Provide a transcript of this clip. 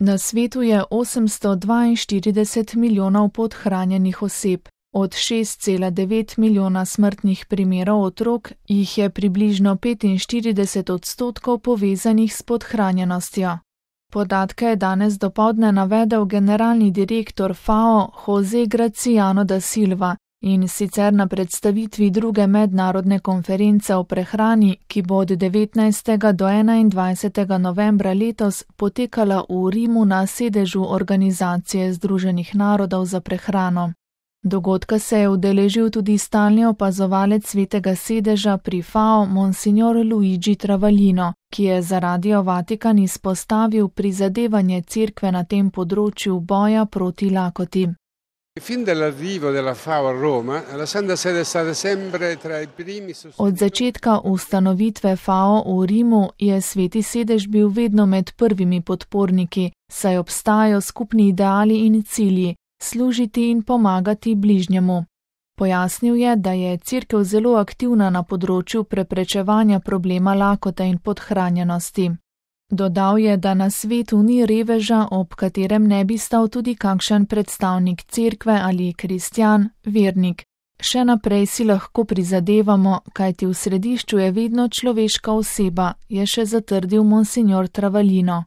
Na svetu je 842 milijonov podhranjenih oseb. Od 6,9 milijona smrtnih primerov otrok jih je približno 45% povezanih s podhranjenostjo. Podatke je danes dopoldne navedel generalni direktor FAO José Graciano da Silva, in sicer na predstavitvi druge mednarodne konference o prehrani, ki bo od 19. do 21. novembra letos potekala v Rimu na sedežu Organizacije Združenih narodov za prehrano. Dogodka se je udeležil tudi stalni opazovalec Svetega sedeža pri FAO Monsignor Luigi Travaglino, ki je za Radio Vatikan izpostavil prizadevanje cerkve na tem področju boja proti lakoti. Od začetka ustanovitve FAO v Rimu je Sveti sedež bil vedno med prvimi podporniki, saj obstajajo skupni ideali in cilji, služiti in pomagati bližnjemu. Pojasnil je, da je cerkev zelo aktivna na področju preprečevanja problema lakote in podhranjenosti. Dodal je, da na svetu ni reveža, ob katerem ne bi stal tudi kakšen predstavnik cerkve ali kristjan, vernik. Še naprej si lahko prizadevamo, kajti v središču je vedno človeška oseba, je še zatrdil monsignor Travaglino.